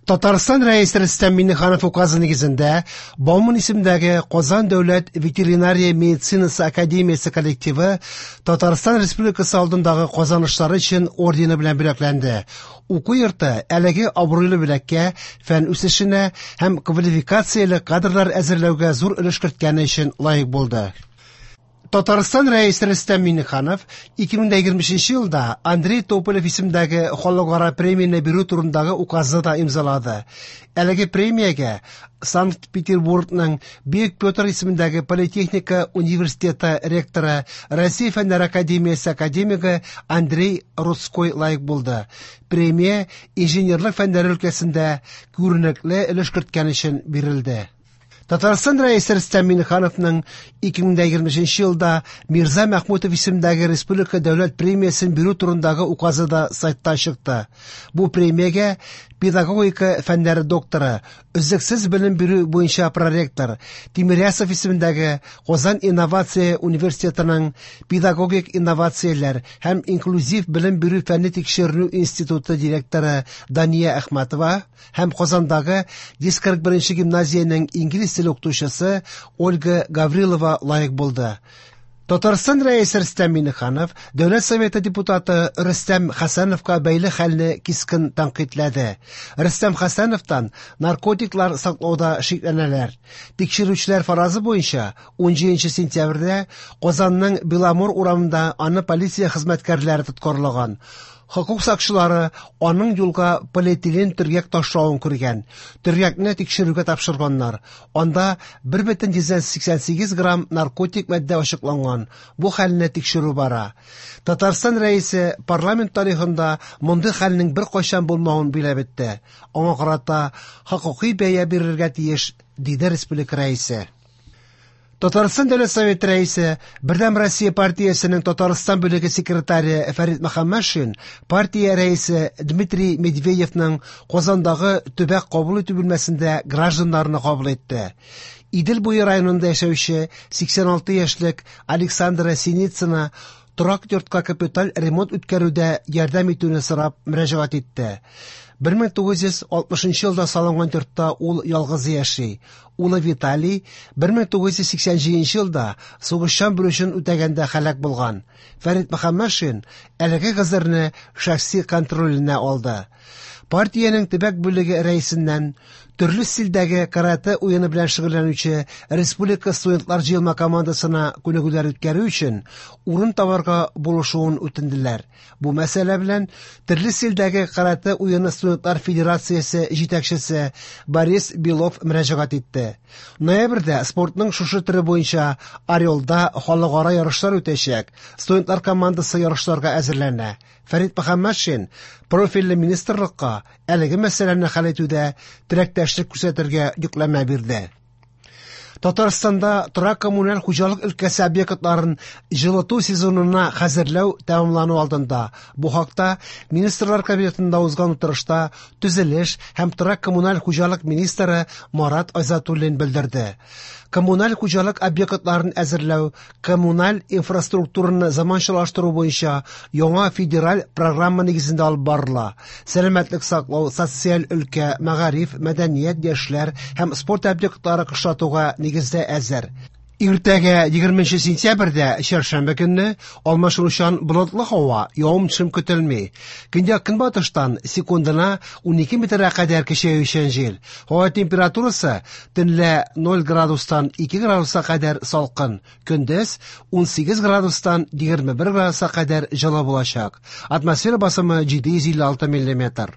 Татарстан Рәисе Рөстәм Миңнеханов указы нигезендә Бауман исемендәге Казан дәүләт ветеринария медицинасы академиясе коллективы Татарстан Республикасы алдындагы казанышлары өчен ордены белән бүләкләнде. Уку йорты әлеге абруйлы бүләккә фән үсешенә һәм квалификацияле кадрлар әзерләүгә зур өлеш керткәне өчен лаек булды. Татарстан Рәисе Рөстәм Миңнеханов 2023 елда Андрей Тополев исемендәге халыкара премияне бирү турындагы указны да имзалады. Әлеге премиягә Санкт-Петербургның Бөек Петр исемендәге политехника университеты ректоры, Россия Фәннәр академиясе академигы Андрей Рудской лаек булды. Премия инженерлык фәннәре өлкәсендә күренекле өлеш керткән өчен бирелде. Татарстан Рәисе Рөстәм Миңнехановның 2023 елда Мирза Мәхмүтов исемендәге Республика дәүләт премиясен бирү турындагы указы да сайтта чыкты. Бу премиягә педагогика фәннәре докторы, өзлексез белем бирү буенча проректор, Тимирясов исемендәге Казан инновация университетының педагогик инновацияләр һәм инклюзив белем бирү фәнни тикшеренү институты директоры Дания Әхмәтова һәм Казандагы 141 гимназиянең инглиз теле укытучысы Ольга Гаврилова лаек булды. Татарстан Рәисе Рөстәм Миңнеханов Дәүләт Советы депутаты Рөстәм Хәсәновка бәйле хәлне кискен тәнкыйтьләде. Рөстәм Хәсәновтан наркотиклар саклауда шикләнәләр. Тикшерүчеләр фаразы буенча 17 сентябрьдә Казанның Беломор урамында аны полиция хезмәткәрләре тоткарлаган. Хокук сакчылары аның юлга полиэтилен төргәк ташлавын күргән. Төргәкне тикшерүгә тапшырганнар. Анда 1,88 грамм наркотик матдә ачыкланган. Бу хәлне тикшерү бара. Татарстан Рәисе парламент тарихында мондый хәлнең беркайчан булмавын биләп үтте. Аңа карата хокукый бәя бирергә тиеш, диде республика Рәисе. Татарстан Дәүләт Советы Рәисе, Бердәм Россия партиясенең Татарстан бүлеге секретаре Фәрит Мөхәммәтшин партия рәисе Дмитрий Медведевның Казандагы төбәк кабул итү бүлмәсендә гражданнарны кабул итте. Идел буе районында яшәүче 86 яшьлек Александра Синицына торак йортка капиталь ремонт үткәрүдә ярдәм итүне сорап мөрәҗәгать итте. 1960 елда салынган йортта ул ялгызы яши. Улы Виталий 1987 елда сугышчан бурычын үтәгәндә һәлак булган. Фәрит Мөхәммәтшин әлеге гозерне шәхси контроленә алды. Партиянең төбәк бүлеге рәисеннән төрле стильдәге каратэ уены белән шөгыльләнүче республика студентлар җыелма командасына күнегүләр үткәрү өчен урын табарга булышуын үтенделәр. Бу мәсьәлә белән төрле стильдәге каратэ уены студентлар федерациясе җитәкчесе Борис Белов мөрәҗәгать итте. Ноябрьдә спортның шушы төре буенча Орелда халыкара ярышлар үтәчәк. Студентлар командасы ярышларга әзерләнә. Фәрит Мөхәммәтшин профильле министрлыкка әлеге мәсьәләне хәл итүдә теләктәшлек күрсәтергә йөкләмә бирде. Татарстанда торак-коммуналь хуҗалык өлкәсе объектларын җылыту сезонына хәзерләү тәмамлану алдында. Бу хакта Министрлар Кабинетында узган утырышта төзелеш һәм торак-коммуналь хуҗалык министры Марат Айзатуллин белдерде. Коммуналь хуҗалык объектларын әзерләү, коммуналь инфраструктураны заманчалаштыру буенча яңа федераль программа нигезендә алып барыла. Сәламәтлек саклау, социаль өлкә, мәгариф, мәдәният, яшьләр һәм спорт объектлары кышлатуга нигездә әзер. Иртәгә 20 сентябрьдә чәршәмбе көнне алмашынучан болытлы һава, явым-төшем көтелми. Көньяк көнбатыштан секундына 12 метрга кадәр көчәючән җил. Һава температурасы төнлә 0 градустан 2 градуска кадәр салкын, көндез 18 градустан 21 градуска кадәр җылы булачак. Атмосфера басымы 756 миллиметр.